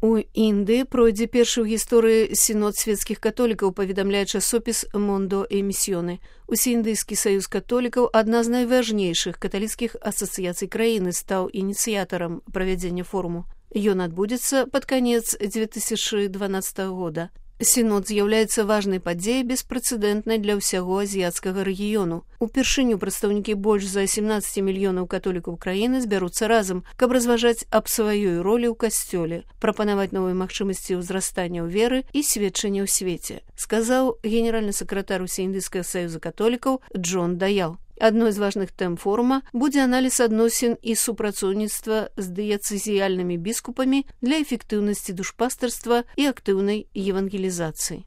У Індыі пройдзе першы ў гісторыі сінод свецкіх католікаў, паведамляе часопіс «Мондо Эмісіёны». Усеіндыйскі саюз католікаў, адна з найважнейшых каталіцкіх асацыяцый краіны, стаў ініцыятарам правядзення форуму. Ён адбудзецца пад канец 2012 года. Сінод з'яўляецца важнай падзеяй, беспрэцэдэнтнай для ўсяго азіяцкага рэгіёну. Упершыню прадстаўнікі больш за 17 мільёнаў католікаў краіны збяруцца разам, каб разважаць аб сваёй ролі ў касцёле, прапанаваць новыя магчымасці ўзрастання ў веры і сведчання ў свеце, сказаў генеральны сакратар Усеіндыйскага саюза католікаў Джон Даял. Адной з важных тэм форума будзе аналіз адносін і супрацоўніцтва з дыяцэзіяльнымі біскупамі для эфектыўнасці душпастарства і актыўнай евангелізацыі.